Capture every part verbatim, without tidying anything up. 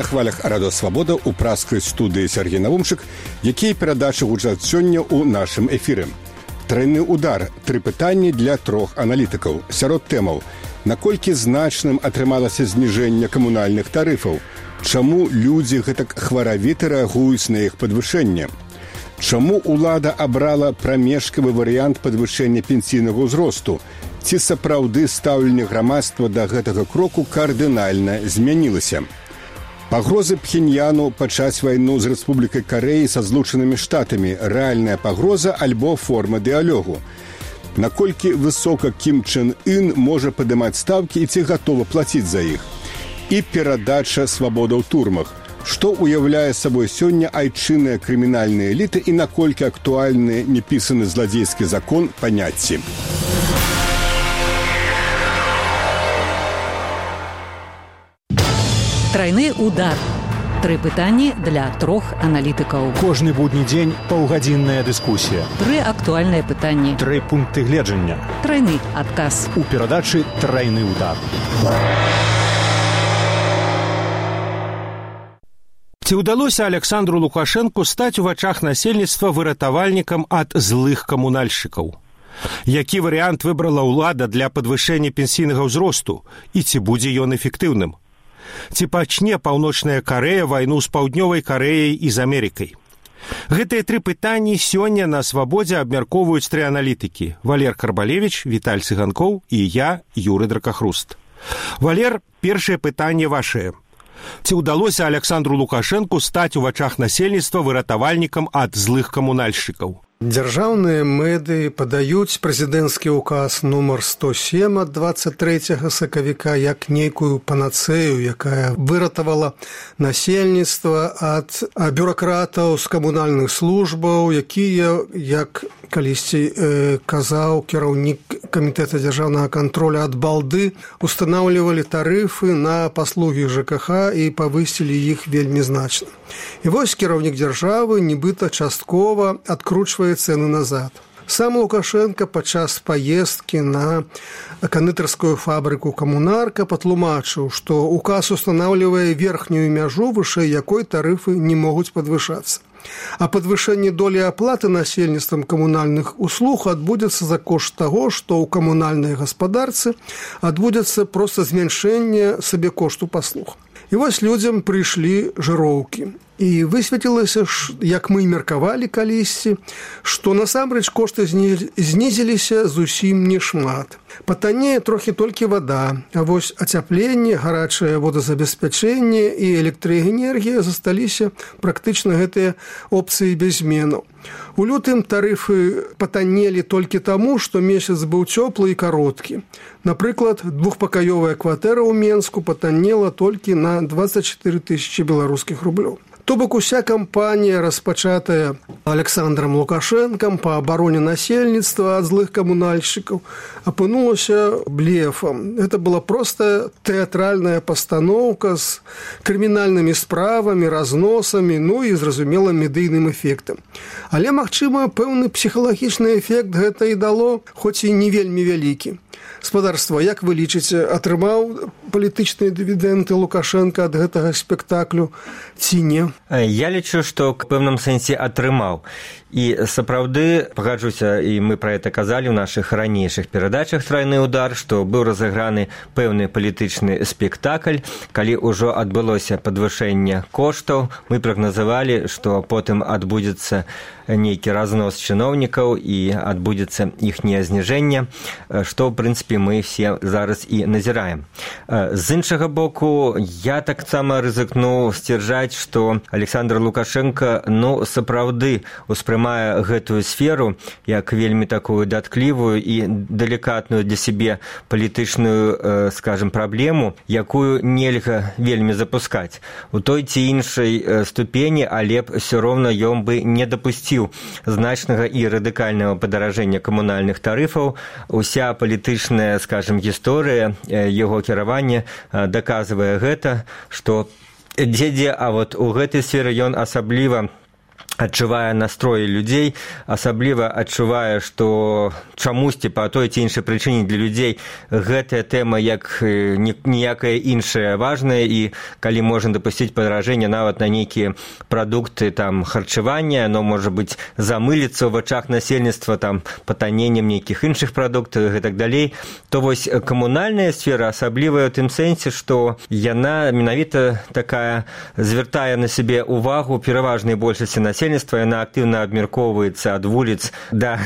хвалях Радио Свабода ў праскай студыі Сергей Навумчык, якія перадачы гучаць сёння ў нашым эфіры. Тройны удар. Тры пытанні для трох аналітыкаў. Сярод тэмаў. Наколькі значным атрымалася зніжэнне камунальных тарыфаў? Чаму людзі гэтак хваравіта рэагуюць на іх падвышэнне? Чаму ўлада абрала прамежкавы варыянт падвышэння пенсійнага ўзросту? Ці сапраўды стаўленне грамадства да гэтага кроку кардынальна змянілася? Пагрозы Пхеньяну пачаць вайну з Рэспублікай Карэі са Злучанымі Штатамі – рэальная пагроза альбо форма дыялогу? Наколькі высока Кім Чен Ын можа падымаць стаўкі і ці гатова плаціць за іх? І перадача свабода ў турмах. Што уяўляе сабой сёння айчынныя крымінальныя эліты і наколькі актуальны непісаны зладзейскі закон паняцці? Тройны удар. Тры пытанні для трох аналітыкаў. Кожны будні дзень паўгадзінная дыскусія. Тры актуальныя пытанні. Тры пункты гледжання. Тройны адказ. У перадачы «Тройны удар». Ці ўдалося Александру Лукашэнку стаць у вачах насельніцтва выратавальнікам ад злых камунальшчыкаў? Які варыянт выбрала ўлада для падвышэння пенсійнага ўзросту? І ці будзе ён эфектыўным? Ці пачне Паўночная Карэя вайну з Паўднёвай Карэяй і з Амерыкай? Гэтыя тры пытанні сёння на Свабодзе абмяркоўваюць тры аналітыкі. Валер Карбалевіч, Віталь Цыганкоў і я, Юры Дракахруст. Валер, першае пытанне вашае. Ці ўдалося Александру Лукашэнку стаць у вачах насельніцтва выратавальнікам ад злых камунальшчыкаў? Дзяржаўныя медыі падаюць прэзідэнцкі ўказ нумар сто сем ад двадцать трэцяга сакавіка як нейкую панацэю, якая выратавала насельніцтва ад бюракратаў з камунальных службаў, якія, як калісьці э, казаў кіраўнік камітэта дзяржаўнага кантроля ад балды, устанаўлівалі тарыфы на паслугі ЖКХ і павысілі іх вельмі значна. І вось кіраўнік дзяржавы нібыта часткова адкручвае цены назад. Сам Лукашенко падчас паездкі на кандытарскую фабрыку «Камунарка» патлумачыў, што указ устанаўлівае верхнюю мяжу, вышэй якой тарыфы не могуць падвышацца. А падвышэнне долі аплаты насельніцтвам камунальных услуг адбудзецца за кошт таго, што ў камунальнай гаспадарцы адбудзецца проста змяншэнне сабекошту паслуг. І вось людзям прыйшлі жыроўкі. І высветлілася, як мы меркавалі калісьці, што насамрэч кошты знізіліся зусім не шмат. Патаннее трохі толькі вада, а вось ацяпленне, гарачае водазабеспячэнне і электраэнергія засталіся практычна гэтыя опцыі без зменаў. У лютым тарыфы патаннелі толькі таму, што месяц быў цёплы і кароткі. Напрыклад, двухпакаёвая кватэра ў Менску патаннела толькі на двадцать четыре тысячи беларускіх рублёў. То бок уся кампанія, распачатая Александром Лукашэнкам па абароне насельніцтва ад злых камунальшчыкаў, апынулася блефам. Это была проста тэатральная пастаноўка з крымінальнымі справамі, разносамі, ну і, зразумела, медыйным эфектам. Але, магчыма, пэўны псіхалагічны эфект гэта і дало, хоць і не вельмі вялікі. Спадарства, як вы лічыце, атрымаў палітычныя дывідэнды Лукашенко ад гэтага спектаклю ці не? Я лічу, што к пэўным сэнсе атрымаў. І сапраўды, пагаджуся, і мы пра гэта казалі ў нашых ранейшых перадачах «Тройны удар», што быў разыграны пэўны палітычны спектакль. Калі ўжо адбылося падвышэнне коштаў, мы прагназавалі, што потым адбудзецца нейкі разнос чыноўнікаў і адбудзецца іхняе зніжэнне, што, ў прынцыпе, мы все зараз і назіраем. З іншага боку, я таксама рызыкну сцвярджаць, што Александр Лукашенко, ну, сапраўды успрымае гэтую сферу як вельмі такую датклівую і далікатную для сябе палітычную, скажем, праблему, якую нельга вельмі запускаць. У той ці іншай ступені, але б ўсё роўна ён бы не дапусціў значнага і радыкальнага падаражэння камунальных тарыфаў. Уся палітычная, скажем, гісторыя яго кіравання даказвае гэта, што дзе-дзе, а вот у гэтай сферы ён асабліва адчувае настроі людзей, асабліва адчувае, што чамусьці па той ці іншай прычыне для людзей гэтая тэма як ніякая іншая важная, і калі можна дапусціць падаражэнне нават на нейкія прадукты там харчавання, оно можа быць замыліцца ў вачах насельніцтва там патанненнем нейкіх іншых прадуктаў і так далей, то вось камунальная сфера асаблівая ў тым сэнсе, што яна менавіта такая звяртае на сябе увагу пераважнай большасці насельніцтва, яна актыўна абмяркоўваецца ад вуліц да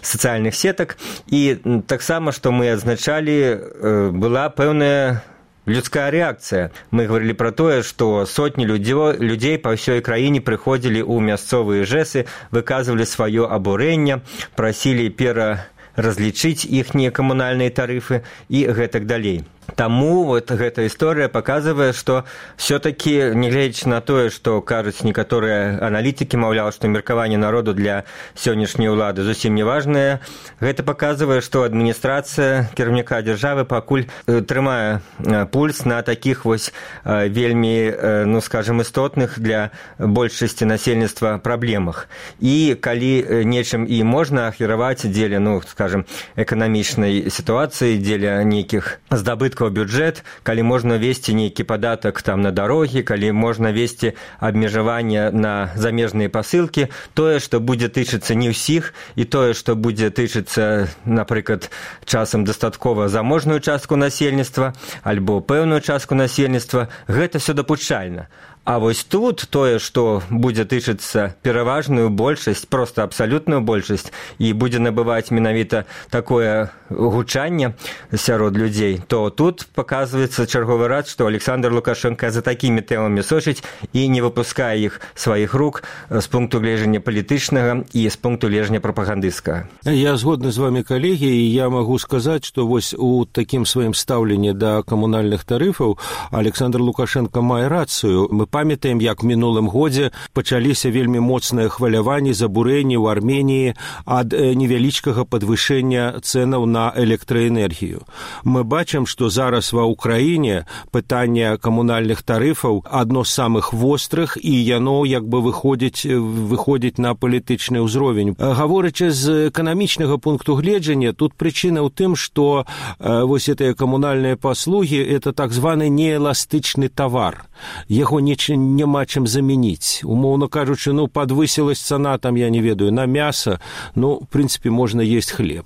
сацыяльных сетак, і таксама, што мы адзначалі, была пэўная людская рэакцыя. Мы гаварылі пра тое, што сотні людзей па ўсёй краіне прыходзілі ў мясцовыя жэсы, выказвалі сваё абурэнне, прасілі пераразлічыць іхнія камунальныя тарыфы і гэтак далей. Таму вот гэта історыя паказвае, што все-таки, нягледзячы на тое, што кажуць некаторыя аналітыкі, маўляў, што меркаванне народу для сённяшняй улады зусім не важнае, гэта паказвае, што адміністрацыя кіраўніка дзяржавы пакуль трымае пульс на такіх вось вельмі, ну скажем, істотных для большасці насельніцтва праблемах. І калі нечым і можна ахвяраваць дзеля, ну скажем, эканамічнай сітуацыі, дзеля нейкіх здабыткаў бюджэт, калі можна весці нейкі падатак там на дарогі, калі можна весці абмежаванне на замежныя пасылкі, тое, што будзе тычыцца не ўсіх, і тое, што будзе тычыцца, напрыклад, часам дастаткова заможную частку насельніцтва альбо пэўную частку насельніцтва, гэта все дапушчальна. А вось тут тое, што будзе тычыцца пераважную большасць, проста абсалютную большасць, і будзе набываць менавіта такое гучанне сярод людзей, то тут паказваецца чарговы раз, што Александр Лукашенко за такімі тэмамі сочыць і не выпускае іх сваіх рук з пункту гледжання палітычнага і з пункту гледжання прапагандысцкага. Я згодны з вами, калегі, і я магу сказаць, што вось у такім сваім стаўленні да камунальных тарыфаў Александр Лукашенко мае рацыю. Мы памятаем, як мінулым годзе пачаліся вельмі моцныя хваляванні, забурэнні ў Арменіі ад невялічкага падвышэння цэнаў на электраэнергію. Мы бачым, што зараз ва ўкраіне пытанне камунальных тарыфаў адно з самых вострых, і яно як бы выходзіць, выходзіць на палітычны ўзровень. Гаворачы з эканамічнага пункту гледжання, тут прычына ў тым, што э, вось гэтыя камунальныя паслугі – это так званы неэластычны тавар. Яго не няма чым замяніць. Умоўна кажучы, ну, падвысілась цана, там, я не ведаю, на мяса, ну, в прынцыпе, можна есть хлеб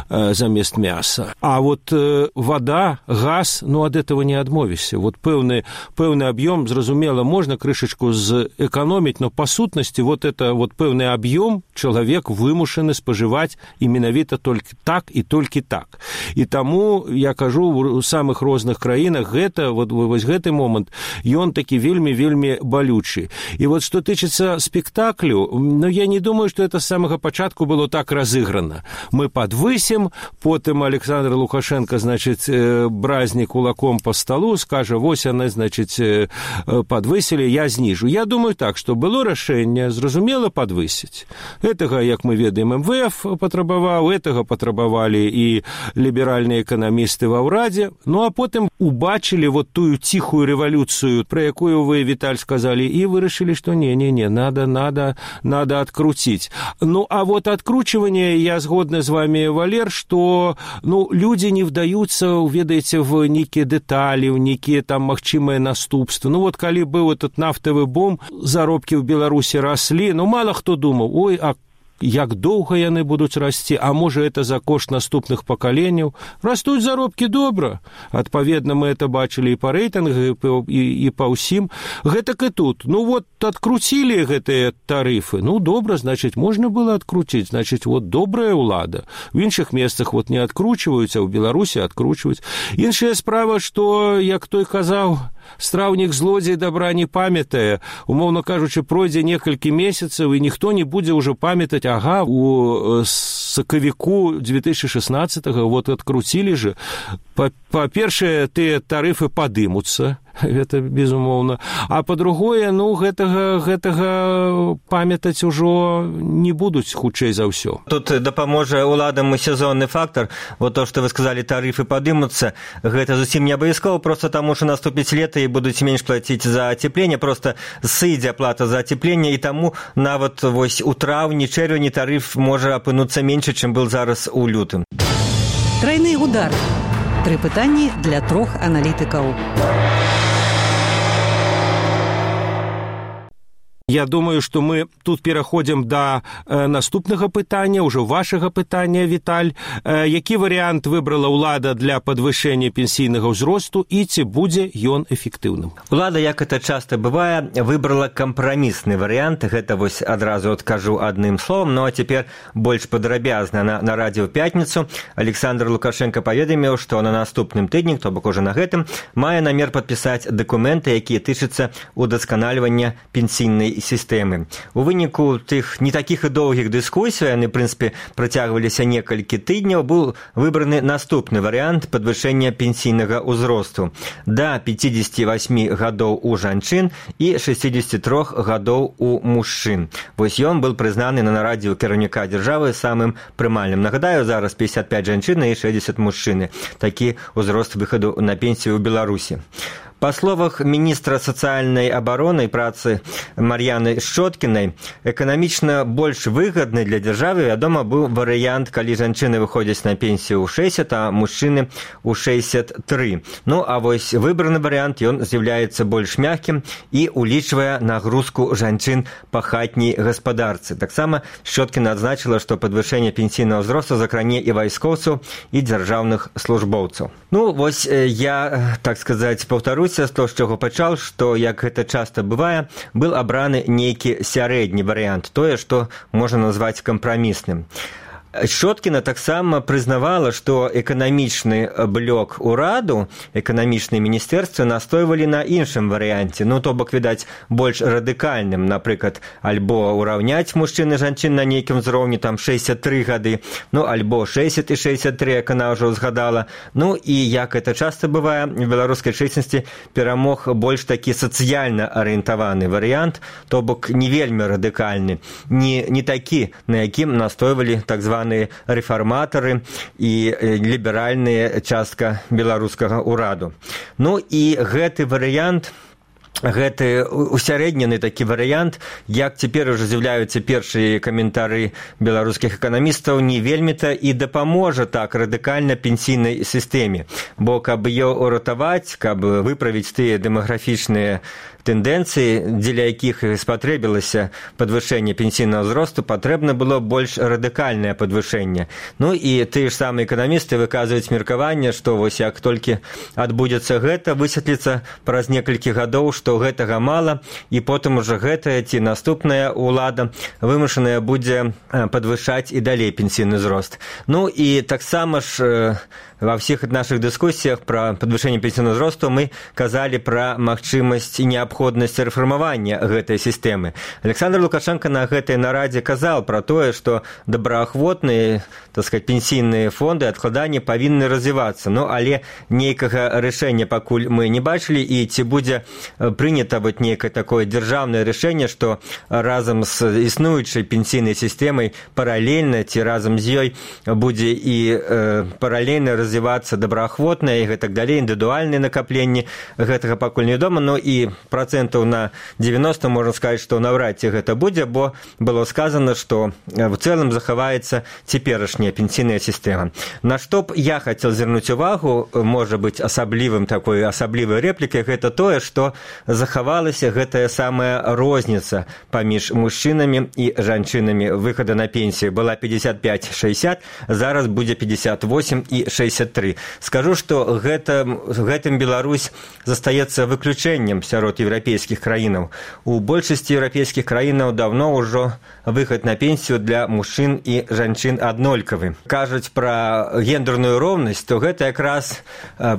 э, замест мяса. А вот э, вода, газ, ну, ад этого не адмовішся. Вот пэўны, пэўны аб'ём, зразумела, можна крышачку зэканоміць, но па сутнасці вот это вот пэўны аб'ём чалавек вымушаны спажываць і менавіта толькі так і толькі так. І таму, я кажу, у самых розных краінах гэта, вот, вось гэты момант, ён такі вельмі вельмі балючы. І вот што тычыцца спектаклю, ну, я не думаю, што это з самага пачатку было так разыграна. Мы падвысім, потым Александр Лукашенко, значыць, бразні кулаком по столу, скажа, вось яны, значыць, падвысілі, я зніжу. Я думаю так, што было рашэнне, зразумела, падвысіць. Гэтага, як мы ведаем, эм вэ эф патрабаваў, гэтага патрабавалі і ліберальныя эканамісты ва ўрадзе, ну а потым убачылі вот тую ціхую рэвалюцыю, про якую вы, Виталь, сказали, и вырашили, что не-не-не, надо, надо, надо открутить. Ну, а вот откручивание, я сгодна с вами, Валер, что, ну, люди не вдаются, ведаете, в некие детали, в некие там магчимые наступства. Ну, вот, коли был этот нафтовый бум, заробки в Беларуси росли, ну, мало кто думал, ой, а як доўга яны будуць расці, а можа это за кошт наступных пакаленняў. Растуць заробкі добра. Адпаведна, мы это бачылі і па рэйтынгах, і, і па ўсім. Гэтак і тут. Ну вот, адкруцілі гэтыя тарыфы. Ну, добра, значыць, можна было адкруціць. Значыць, вот добрая ўлада. В іншых месцах вот не адкручваюць, а ў Беларусі адкручваюць. Іншая справа, што, як той казаў, страўнік злодзей добра не памятае. Умоўна кажучы, пройдзе некалькі месяцаў, і ніхто не будзе ўжо памятаць, ага, у сакавіку две тысячи шестнадцатого вот открутили же. Па-першае, тыя тарыфы падымуцца, гэта безумоўна. А па-другое, ну, гэтага, гэтага памятаць ужо не будуць хутчэй за ўсё. Тут дапаможа уладам сезонны фактор. Вот то, што вы сказалі, тарыфы падымуцца, гэта зусім не абавязкова, проста таму, што наступіць лета і будуць менш плаціць за ацепленне, проста сыдзе аплата за ацепленне, і таму нават вось у траўні, чэрвені тарыф можа апынуцца менш, чым был зараз у лютым. Тройны удар. Тры пытанні для трох аналітыкаў. Я думаю, што мы тут пераходзім да э, наступнага пытання, ўжо вашага пытання, Віталь. Э, які варыянт выбрала ўлада для падвышэння пенсійнага ўзросту і ці будзе ён эфектыўным? Улада, як это часта бывае, выбрала кампрамісны варыянт. Гэта вось адразу адкажу адным словам. Ну а цяпер больш падрабязна. На, на радыё пятніцу Александр Лукашенко паведаміў, што на наступным тыдні, то бок ужо на гэтым, мае намер падпісаць дакументы, якія тычацца удасканальвання пенсійнай сістэмы. У выніку тых не такіх і доўгіх дыскусій, яны, в прынцыпе, працягваліся некалькі тыдняў, быў выбраны наступны варыянт падвышэння пенсійнага ўзросту да пятьдесят восемь гадоў у жанчын і шестьдесят три гадоў у мужчын. Вось ён был прызнаны на нарадзе ў кіраўніка дзяржавы самым прымальным. Нагадаю, зараз пятьдесят пять жанчын і шестьдесят мужчыны. Такі ўзрост выхаду на пенсію ў Беларусі. Па словах міністра сацыяльнай абароны і працы Мар'яны Шчоткінай, эканамічна больш выгадны для дзяржавы, вядома, быў варыянт, калі жанчыны выходзяць на пенсію ў шэсцьдзесят, а мужчыны ў шэсцьдесят три. Ну, а вось выбраны варыянт, ён з'яўляецца больш мяккім і улічвае нагрузку жанчын па хатняй гаспадарцы. Таксама Шчоткіна адзначыла, што падвышэнне пенсійнага ўзросту закране і вайскоўцаў, і дзяржаўных службоўцаў. Ну, вось я, так сказаць, паўтарусь, з того, з чого пачаў, што, як гэта часта бывае, быў абраны нейкі сярэдні варыянт, тое, што можна назваць кампрамісным. Шчоткіна таксама прызнавала, што эканамічны блок ураду, эканамічныя міністэрствы настойвалі на іншым варыянце, ну, то бок, відаць, больш радыкальным, напрыклад, альбо ўраўняць мужчын і жанчын на нейкім узроўні, там, шэсцьдесят три гады, ну, альбо шэсцьдесят і шэсцьдесят три, як она ўжо ўзгадала. Ну, і, як это часта бывае, в беларускай чэснасці перамог больш такі сацыяльна арыентаваны варыянт, то бок, не вельмі радыкальны, не, не такі, на якім настойвалі так званы рэфарматары і ліберальная частка беларускага ўраду. Ну і гэты варыянт, гэты усярэднены такі варыянт, як цяпер ужо з'яўляюцца першыя каментары беларускіх эканамістаў, не вельмі-то і дапаможа так радыкальна пенсійнай сістэме. Бо каб ее уратаваць, каб выправіць тыя дэмаграфічныя тэндэнцыі, дзеля якіх спатрэбілася падвышэнне пенсійнага ўзросту, патрэбна было больш радыкальнае падвышэнне. Ну і тыя ж самыя эканамісты выказваюць меркаванне, што вось як толькі адбудзецца гэта, высветліцца праз некалькі гадоў, што гэтага мала, і потым ужо гэтая ці наступная ўлада вымушаная будзе падвышаць і далей пенсійны ўзрост. Ну і таксама ж во всех наших дискуссиях про подвышение пенсионного возраста мы казали про магчымасць і неабходнасць рэфармавання гэтай сістэмы. Александр Лукашенко на гэтай нарадзе казал про тое, што добраахвотныя, так сказать, пенсійныя фонды адкладання павінны развівацца. Ну, але нейкага рашэння пакуль мы не бачылі, і ці будзе прынята вот некае такое дзяржаўнае рашэнне, што разам з існуючай пенсійнай сістэмай паралельна ці разам з ёй будзе і э, паралельна развівацца развівацца добраахвотнае і гэтак далей, індывідуальныя накапленні, гэтага пакуль невядома, но і працэнтаў на девяносто можна сказаць, што наўрад ці гэта будзе, бо было сказано, што в цэлым захаваецца цяперашняя пенсійная сістэма. На што б я хацеў звярнуць увагу, можа быць асаблівым такой асаблівай рэплікай, гэта тое, што захавалася гэтая самая розніца паміж мужчынамі і жанчынамі выхада на пенсію. Была пятьдесят пять шестьдесят, зараз будзе пятьдесят восемь і шестьдесят три. Скажу, што гэта, гэтым Беларусь застаецца выключэннем сярод еўрапейскіх краінаў. У большасці еўрапейскіх краінаў даўно ўжо выхад на пенсію для мужчын і жанчын аднолькавы. Кажуць пра гендерную роўнасць, то гэта якраз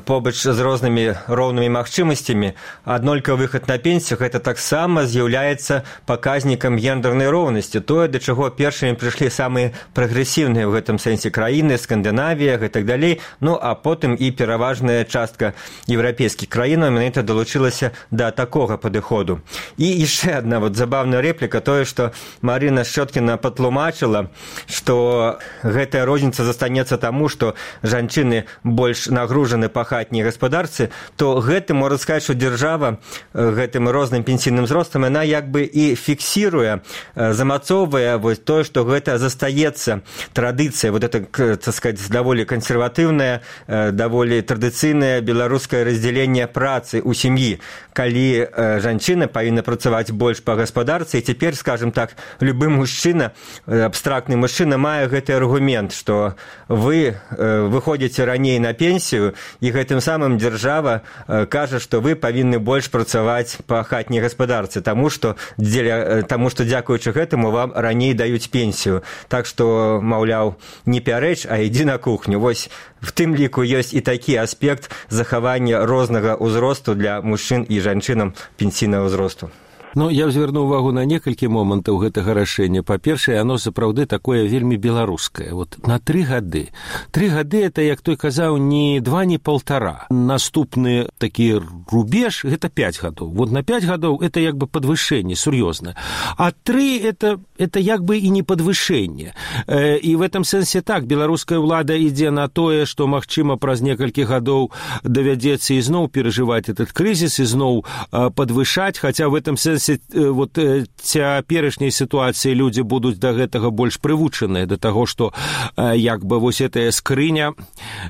побач з рознымі роўнымі магчымасцямі аднолькавы хутка выхад на пенсію, гэта таксама з'яўляецца паказнікам гендернай роўнасці, тое, да чаго першымі прыйшлі самыя прагрэсіўныя ў гэтым сэнсе краіны, Скандынавія, гэтак далей, ну а потым і пераважная частка еўрапейскіх краінаў менавіта далучылася да такога падыходу. І яшчэ адна вот забавная рэпліка, тое, што Марына Шчоткіна патлумачыла, што гэтая розніца застанецца таму, што жанчыны больш нагружаны па хатняй гаспадарцы, то гэтым можна сказаць, што дзяржава гэтым розным пенсійным узростам яна як бы і фіксіруе, замацоўвае вось тое, што гэта застаецца традыцыя, вот это, так сказать, даволі кансерватыўнае, даволі традыцыйнае беларускае раздзяленне працы ў сям'і, калі жанчына павінна працаваць больш па гаспадарцы, і цяпер, скажем так, любы мужчына, абстрактны мужчына мае гэты аргумент, што вы выходзіце раней на пенсію, і гэтым самым дзяржава кажа, што вы павінны больш працаваць па хатняй гаспадарцы, таму што, дзеля, таму што дзякуючы гэтаму вам раней даюць пенсію. Так што, маўляў, не пярэч, а ідзі на кухню. Вось в тым ліку ёсць і такі аспект захавання рознага ўзросту для мужчын і жанчынам пенсійнага ўзросту. Ну, я звярну ўвагу на некалькі момантаў гэтага рашэння. Па-першае, оно сапраўды такое вельмі беларускае. Вот на тры гады. Тры гады – это, як той казаў, не два, не полтора. Наступны такі рубеж – гэта пять гадоў. Вот на пять гадоў – это як бы падвышэнне, сур'ёзна. А тры – это, это як бы і не падвышэнне. Э, і в этом сэнсе так, беларуская ўлада ідзе на тое, што, магчыма, праз некалькі гадоў давядзецца ізноў перажываць этот крызіс, ізноў э, падвышаць, хаця в этом сэнсе вот цяперашняй сітуацыі людзі будуць да гэтага больш прывучаныя, да таго, што як бы вось гэтая скрыня,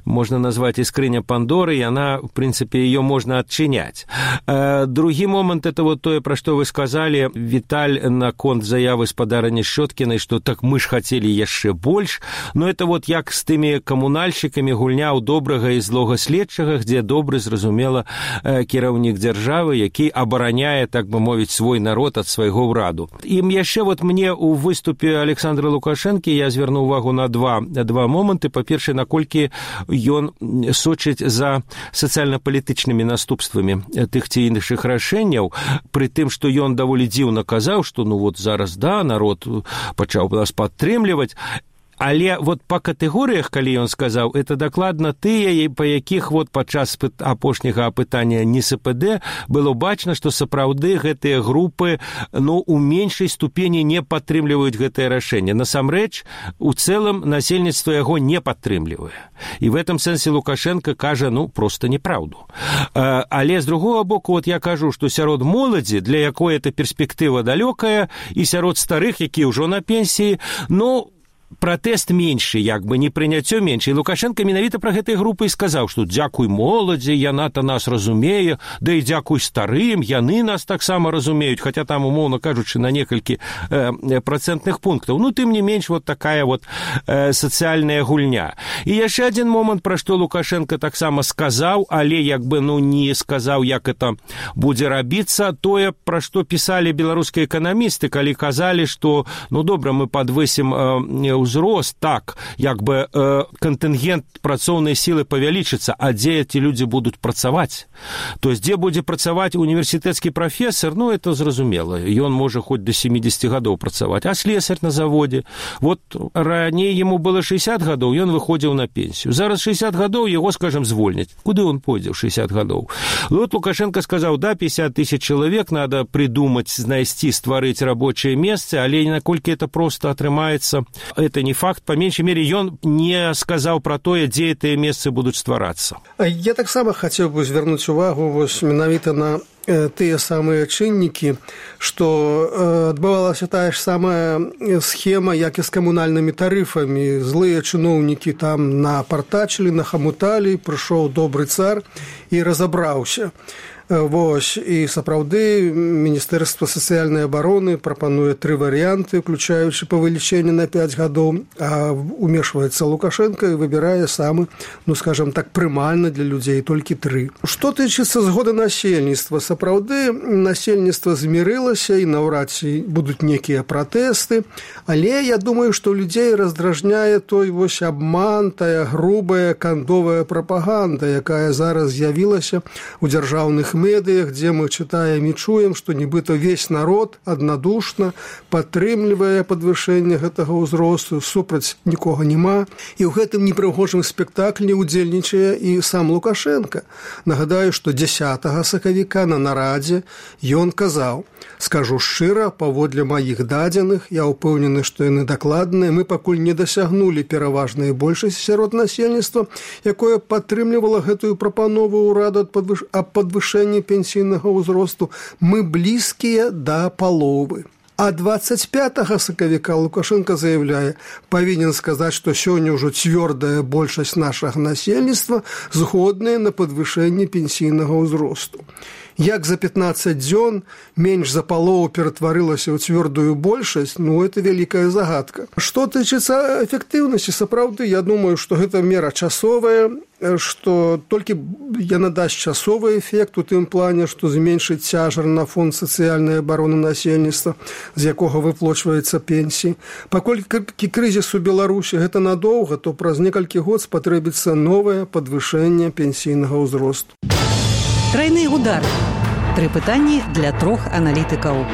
можна назваць і скрыня Пандоры, яна, в прынцыпе, ее можна адчыняць. Другі момант, это вот тое, пра што вы сказалі, Віталь, наконт заявы спадарыні Шчоткінай, што так мы ж хацелі яшчэ больш, но это вот як з тымі камунальшчыкамі гульня ў добрага і злога следчага, дзе добры, зразумела, кіраўнік дзяржавы, які абараняе, так бы мовіць, свой народ ад свайго ўраду. І яшчэ вот мне ў выступе Александра Лукашэнкі я звярну ўвагу на два, два моманты. Па-першае, наколькі ён сочыць за сацыяльна-палітычнымі наступствамі тых ці іншых рашэнняў, пры тым, што ён даволі дзіўна казаў, што ну вот зараз, да, народ пачаў нас падтрымліваць. Але вот па катэгорыях, калі ён сказаў, это дакладна тыя, па якіх вот падчас апошняга апытання НСПД было бачна, што сапраўды гэтыя групы, ну, у меншай ступені не падтрымліваюць гэтае рашэнне. Насамрэч, у цэлым насельніцтва яго не падтрымлівае. І в этом сэнсе Лукашенко кажа, ну, проста неправду. Але з другого боку, вот я кажу, што сярод моладзі, для якой эта перспектыва далёкая, і сярод старых, якія ўжо на пенсіі, ну, пратэст меншы, як бы не прыняццё меншы. І Лукашенко менавіта пра гэтай групы і сказаў, што дзякуй моладзі, яна-то нас разумее, да і дзякуй старым, яны нас таксама разумеюць, хаця там, умоўна кажучы, на некалькі э, працэнтных пунктаў. Ну, тым не менш, вот такая вот э, сацыяльная гульня. І яшчэ адзін момант, пра што Лукашенко таксама сказаў, але як бы, ну, не сказаў, як это будзе рабіцца, тое, пра што пісалі беларускія эканамісты, калі казалі, што, ну, добра, мы падвысім э, ўзрост, так, як бы э, кантынгент працоўнай сілы павялічыцца, а дзе эти людзі будуць працаваць? То есть, дзе будзе працаваць універсітэцкі прафесор, ну, это зразумела, ён можа хоць да семидесяти гадоў працаваць, а слесарь на заводзе, вот раней ему было шестьдесят гадоў, ён выходзіў на пенсію, зараз шестьдесят гадоў, его, скажем, звольняць. Куды он пойдзе ў шестьдесят гадоў? Вот Лукашенко сказаў, да, пятьдесят тысяч человек надо придумать, знайсці, стварыць рабочее месцы, але наколькі это просто атрымаецца, это не факт, по меньшей мере, ён не сказаў пра тое, дзе гэтыя месцы будуць стварацца. Я таксама хацеў бы звярнуць увагу вось менавіта на тыя самыя чыннікі, што адбывалася тая ж самая схема, як і з камунальнымі тарыфамі. Злыя чыноўнікі там напартачылі, нахамуталі, прыйшоў добры цар і разабраўся. Вось, і сапраўды Міністэрства сацыяльнай абароны прапануе тры варыянты, уключаючы павелічэнне на пять гадоў, а умешваецца Лукашенко і выбірае самы, ну, скажем так, прымальны для людзей толькі тры. Што тычыцца згоды насельніцтва, сапраўды насельніцтва змірылася і наўрад ці будуць некія пратэсты, але я думаю, што людзей раздражняе той вось абман, тая грубая кандовая прапаганда, якая зараз з'явілася ў дзяржаўных расійскіх медыях, дзе мы чытаем і чуем, што нібыта весь народ аднадушна падтрымлівае падвышэнне гэтага ўзросту, супраць нікога няма. І ў гэтым непрыгожым спектаклі удзельнічае і сам Лукашенко. Нагадаю, што дзясятага сакавіка на нарадзе ён казаў: «Скажу шчыра, паводле маіх дадзеных, я ўпэўнены, што яны дакладныя, мы пакуль не дасягнулі пераважнай большасці сярод насельніцтва, якое падтрымлівала гэтую прапанову ўраду аб падвышэнні пенсійнага ўзросту. Мы блізкія да паловы». А двадцать пятага сакавіка Лукашенко заявляе: «Павінен сказаць, што сёння ўжо цвёрдая большасць нашага насельніцтва згодная на падвышэнне пенсійнага ўзросту». Як за пятнаццаць дзён менш за палову ператварылася ў цвёрдую большасць, ну, это вялікая загадка. Што тычыцца эфектыўнасці, сапраўды, я думаю, што гэта мера часовая, што толькі яна дасць часовы эфект у тым плане, што зменшыць цяжар на фонд сацыяльнай абароны насельніцтва, з якога выплачваецца пенсіі. Паколькі крызіс у Беларусі гэта надоўга, то праз некалькі год спатрэбіцца новае падвышэнне пенсійнага ўзросту. Тройны удар. Тры пытанні для трох аналітыкаў.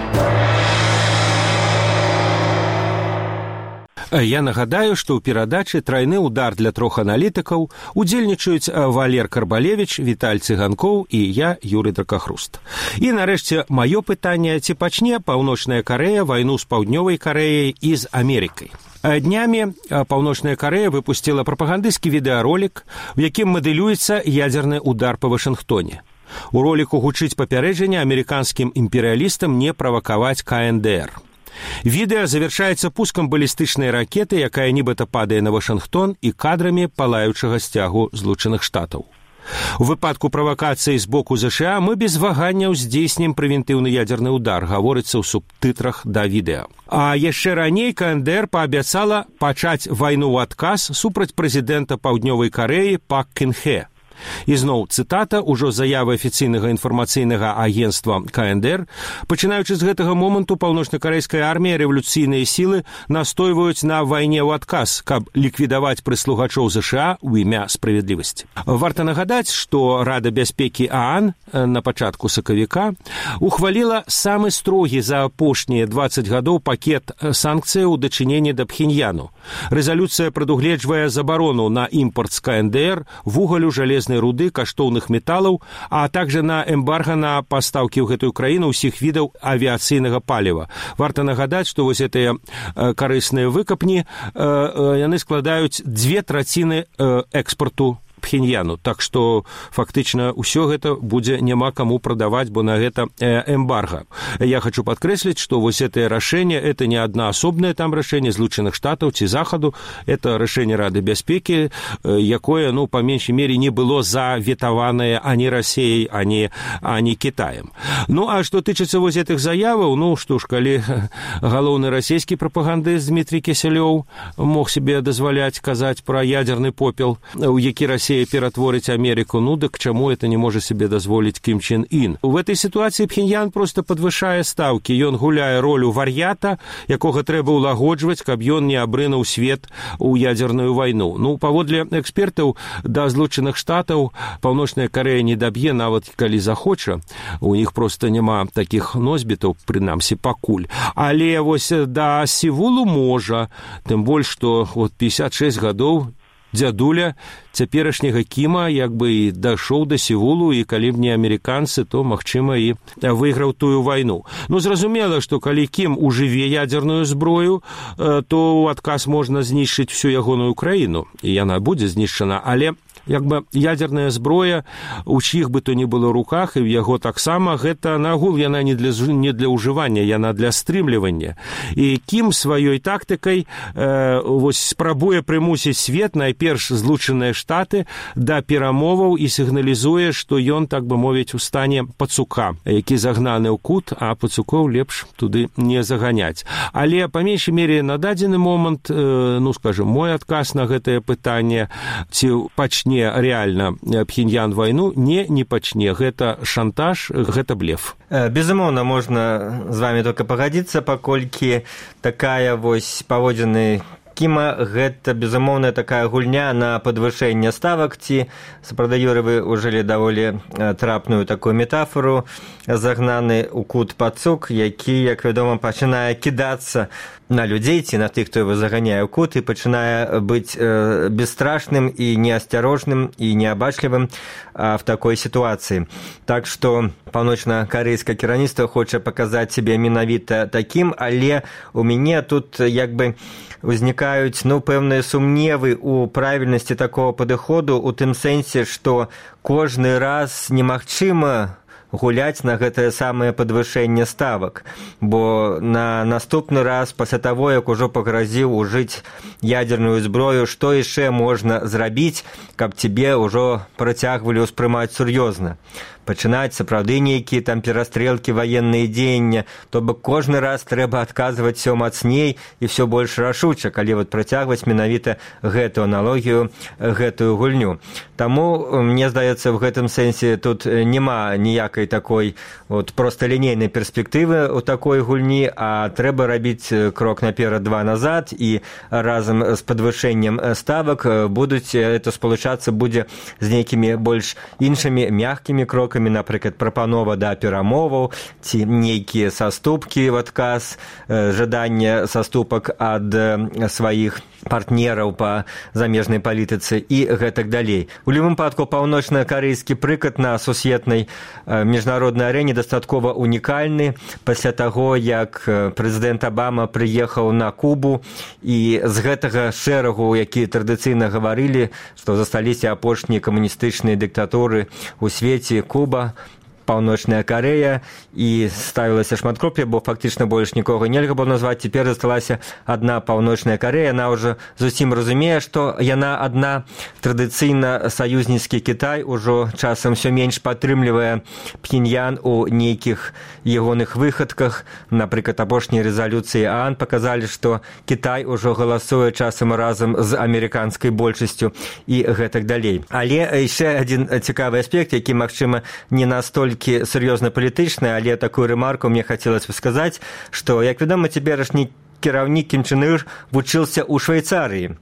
Я нагадаю, што ў перадачы «Тройны удар» для трох аналітыкаў удзельнічаюць Валер Карбалевіч, Віталь Цыганкоў і я, Юрый Дракахруст. І, нарэшце, маё пытанне: ці пачне Паўночная Карэя вайну з Паўднёвай Карэяй і з Амерыкай? Днямі Паўночная Карэя выпусціла прапагандысцкі відэаролік, у якім мадэлюецца ядзерны удар па Вашынгтоне. У роліку гучыць папярэджанне амерыканскім імперыялістам не правакаваць ка эн дэ эр. Відэа завяршаецца пускам балістычнай ракеты, якая нібыта падае на Вашынгтон, і кадрамі палаючага сцягу Злучаных Штатаў. У выпадку правакацыі з боку ЗША мы без ваганняў здзейснім прэвентыўны ядзерны удар, гаворыцца ў субтытрах да відэа. А яшчэ раней ка эн дэ эр паабяцала пачаць вайну ў адказ супраць прэзідэнта Паўднёвай Карэі Пак Кын Хэ. І зноў цытата, ужо заявы афіцыйнага інфармацыйнага агенцтва ка эн дэ эр: «Пачынаючы з гэтага моманту паўночнакарэйская армія і рэвалюцыйныя сілы настойваюць на вайне ў адказ, каб ліквідаваць прыслугачоў ЗША ў імя справядлівасці». Варта нагадаць, што Рада бяспекі ААН на пачатку сакавіка ухваліла самы строгі за апошнія дваццаць гадоў пакет санкцыяў у дачыненні да Пхеньяну. Рэзалюцыя прадугледжвае забарону на імпорт з ка эн дэ эр вугалю, жалезнай руды, каштоўных металаў, а также на эмбарга на пастаўкі ў гэтую краіну ўсіх відаў авіяцыйнага паліва. Варта нагадаць, што вось гэтыя карысныя выкапні яны складаюць дзве траціны экспарту Пхеньяну. Так што фактычна ўсё гэта будзе няма каму прадаваць, бо на гэта эмбарга. Я хочу падкрэсліць, што вось гэтае рашэнне это не аднаасобнае там рашэнне Злучаных Штатаў ці Захаду, это рашэнне Рады бяспекі, якое, ну, па меншай мере не было заветаванае ані Расіяй, ані, ані Кітаем. Ну, а што тычыцца вось гэтых заяваў, ну, што ж, калі галоўны расійскі прапагандыст Дмітрий Кісялёў мог себе дазваляць казаць пра ядзерны попел, у які Расія ператворыць Амерыку, ну, дык чаму это не можа себе дазволіць Кім Чен Ін? У гэтай сітуацыі Пхеньян проста падвышае стаўкі. Ён гуляе ролю вар'ята, якога трэба ўлагоджваць, каб ён не абрынуў свет у ядзерную вайну. Ну, паводле экспертаў, да Злучаных Штатаў Паўночная Карэя не даб'е, нават калі захоча. У іх проста няма такіх носьбітаў, прынамсі, пакуль. Але вось да Сеулу можа, тым больш, што от пятьдесят шесть гадоў дзядуля цяперашняга Кіма як бы і дайшоў да Сеулу, і калі б не амерыканцы, то, магчыма, і выйграў тую вайну. Ну, зразумела, што калі Кім ужыве ядзерную зброю, то ў адказ можна знішчыць всю ягоную краіну, і яна будзе знішчана, але як бы ядзерная зброя у чьих бы то ни было руках, і ў яго таксама гэта нагул, яна не для, не для ўжывання, яна для стрымлівання. І Кім сваёй тактыкай э, вось спрабуе прымусіць свет, найперш Злучаныя Штаты, да перамоваў і сігналізуе, што ён, так бы мовіць, у стане пацука, які загнаны ў кут, а пацукоў лепш туды не заганяць. Але па меншай мере на дадзены момант, э, ну, скажем, мой адказ на гэтае пытанне, ці пачне реально Пхеньян вайну, не, не пачне. Гэта шантаж, гэта блеф. Безумоўна, можна з вами только пагадзіцца, паколькі такая вось паводзіны Кіма, гэта, безумоўна, такая гульня на падвышэнне ставак, ці, сапраўды, Юрый, вы ўжылі даволі трапную такую метафору, загнаны ў кут пацук, які, як вядома, пачынае кідацца на людзей, ці на тых, хто его заганяе ў кут, і пачынае быць э, бесстрашным і неасцярожным і неабачлівым э, в такой сітуацыі. Так што паўночна-карэйскае кіраўніцтва хоча паказаць сябе менавіта такім, але у мяне тут як бы узнікаюць, ну, пэўныя сумневы ў правільнасці такого падыходу, у тым сэнсе, што кожны раз немагчыма гуляць на гэтае самае падвышэнне ставак, бо на наступны раз пасля таго, як ужо пагразіў ужыць ядерную зброю, што яшчэ можна зрабіць, каб цябе ўжо працягвалі ўспрымаць сур'ёзна. Пачынаць сапраўды нейкія там перастрэлкі, ваенныя дзеяння, то бок кожны раз трэба адказваць всё мацней і всё больш рашуча, калі вот працягваць менавіта гэтую аналогію, гэтую гульню. Таму, мне здаецца, в гэтым сэнсе тут няма ніякай такой вот просталінейнай перспектывы ў такой гульні, а трэба рабіць крок наперад, два назад, і разам з падвышэннем ставак будуць это спалучацца будзе з нейкімі больш іншымі мяккімі крокамі, напрыклад, прапанова да перамоваў, ці нейкія саступкі в адказ, жаданне саступак ад сваіх партнераў па замежнай палітыцы і гэтак далей. У любым выпадку, паўночна-карэйскі прыклад на сусветнай міжнароднай арэне дастаткова унікальны. Пасля таго, як прэзідэнт Абама прыехаў на Кубу, і з гэтага шэрагу, якія традыцыйна гаварылі, што засталіся апошнія камуністычныя дыктатуры ў свеце, Куба, Паўночная Карэя, і ставілася шматкроп'я, бо фактычна больш нікога нельга было назваць. Цяпер засталася адна Паўночная Карэя. Яна ўжо зусім разумее, што яна адна. Традыцыйна саюзніцкі Кітай ужо часам усё менш падтрымлівае Пхеньян у нейкіх ягоных выхадках. Напрыклад, апошнія рэзалюцыі ААН паказалі, што Кітай ужо галасуе часам разам з амерыканскай большасцю і гэтак далей. Але яшчэ адзін цікавы аспект, які, магчыма, не настолькі сур'ёзна палітычная, але такую рэмарку мне хацелася б сказаць, што, як вядома, цяперашні кіраўнік Кім Чен Ыр вучыўся ў Швейцарыі.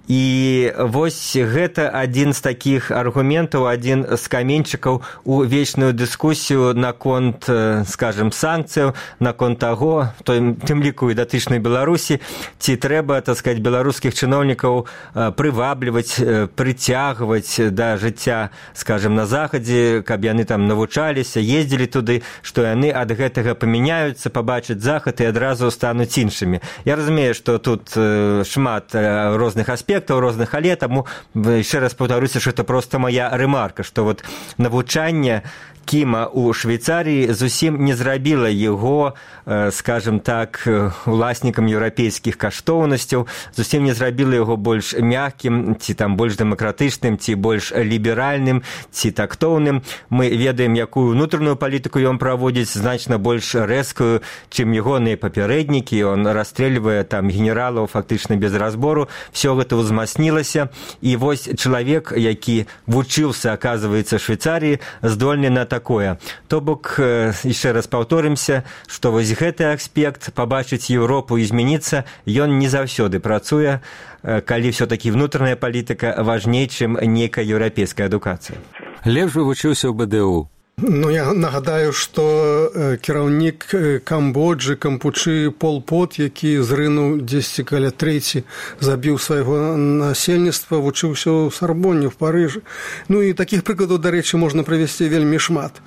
І вось гэта адзін з такіх аргументаў, адзін з каменьчыкаў у вечную дыскусію наконт, скажем, санкцыяў, наконт таго, тым ліку і датычнай Беларусі, ці трэба, так сказаць, беларускіх чыноўнікаў прывабліваць, прыцягваць да жыцця, скажем, на захадзе, каб яны там навучаліся, ездзілі туды, што яны ад гэтага памяняюцца, пабачаць захад і адразу стануць іншымі. Я разумею, што тут шмат розных аспектаў, розных, але таму яшчэ раз паўтаруся, што это проста моя рэмарка, што вот навучанне Кіма ў Швейцарыі зусім не зрабіла яго, скажем так, уласнікам еўрапейскіх каштоўнасцяў, зусім не зрабіла яго больш мяккім, ці там больш дэмакратычным, ці больш ліберальным, ці тактоўным. Мы ведаем, якую ўнутраную палітыку ён праводзіць, значна больш рэзкую, чым ягоныя папярэднікі. Он расстрэльвае там генералаў фактычна без разбору. Всё гэта ўзмацнілася. І вось чалавек, які вучыўся, аказваецца, в Швейцарыі, здольны на такое. То бок, яшчэ раз паўторымся, што вось гэты аспект, пабачыць Еўропу і змяніцца, ён не заўсёды працуе, калі ўсё-такі внутраная палітыка важней, чым нейкая еўрапейская адукацыя. Лепш вывучыўся ў Бэ Дэ У. Ну, я нагадаю, што кіраўнік Камбоджы, Кампучы, Пол Пот, які зрынуў дзесьці каля трэці, забіў свайго насельніцтва, вучыўся ў Сарбоне, в Парыжы. Ну, і такіх прыкладаў, дарэчы, можна прывесці вельмі шмат.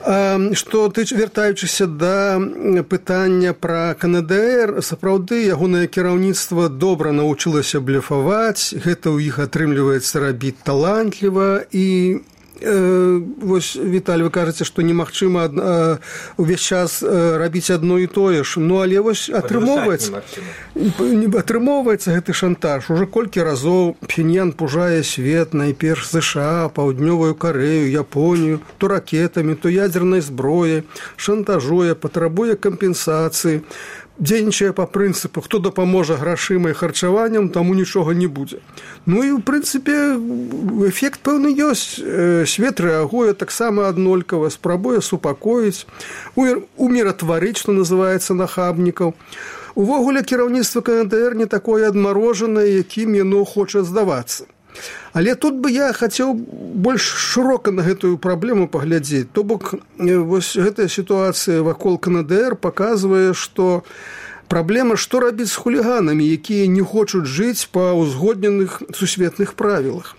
Што ты, вяртаючыся да пытання пра Ка Эн Дэ Эр, сапраўды ягонае кіраўніцтва добра навучылася блефаваць, гэта ў іх атрымліваецца рабіць талантліва, і вось, Віталь, вы кажаце, што немагчыма увесь час рабіць адно і тое ж. Ну, але вось атрымоўваецца, атрымоўваецца гэты шантаж. Ужо колькі разоў Пхеньян пужае свет, найперш США, Паўднёвую Карэю, Японію, то ракетамі, то ядзернай зброяй, шантажуе, патрабуе кампенсацыі, дзейнічае па прынцыпу, хто дапаможа грашыма і харчаваннем, таму нічога не будзе. Ну і, ў прынцыпе, эфект пэўны ёсць. Свет рэагуе таксама аднолькава, спрабуе супакоіць, уміратварыць, што называецца, нахабнікаў. Увогуле кіраўніцтва КНДР не такое адмарожанае, якім яно хоча здавацца. Але тут бы я хацеў больш шырока на гэтую праблему паглядзець. То бок, вось гэтая сітуацыя вакол КНДР паказвае, што праблема, што рабіць з хуліганамі, якія не хочуць жыць па ўзгодненых сусветных правілах.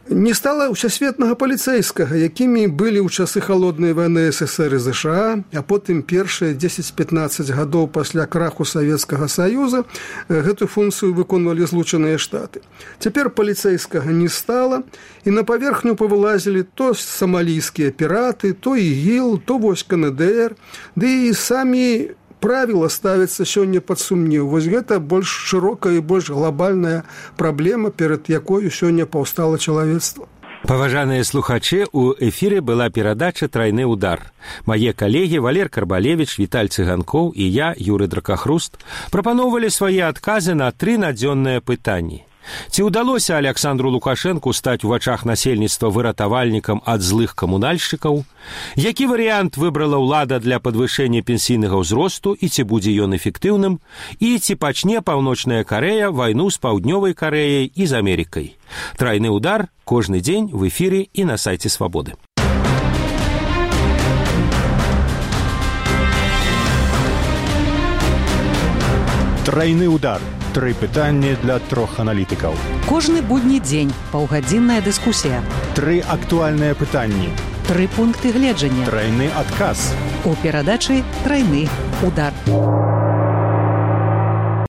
Не стала ўсесветнага паліцэйскага, якімі былі ў часы халоднай вайны СССР і ЗША, а потым першыя дзесяць-пятнаццаць гадоў пасля краху Савецкага Саюза гэтую функцыю выконвалі Злучаныя Штаты. Цяпер паліцэйскага не стала, і на паверхню павылазілі то самалійскія піраты, то ІГІЛ, то вось КНДР, ды і самі правіла ставяцца сёння пад сумнеў. Вось гэта больш шырокая і больш глобальная праблема, перад якою сёння паўстала чалавецтва. Паважаныя слухачы, у эфіры была перадача «Трайны удар». Мае калегі Валер Карбалевіч, Віталь Цыганкоў і я, Юры Дракахруст, прапаноўвалі свае адказы на тры надзённыя пытанні. Ці ўдалося Александру Лукашэнку стаць у вачах насельніцтва выратавальнікам ад злых камунальшчыкаў? Які варыянт выбрала ўлада для падвышэння пенсійнага ўзросту і ці будзе ён эфектыўным? І ці пачне Паўночная Карэя вайну з Паўднёвай Карэяй і з Амерыкай? Трайны удар кожны дзень в эфіры і на сайце Свабоды. Трайны удар. Тры пытанні для трох аналітыкаў. Кожны будні дзень паўгадзінная дыскусія. Тры актуальныя пытанні. Тры пункты гледжання. Трайны адказ. У перадачы «Трайны удар».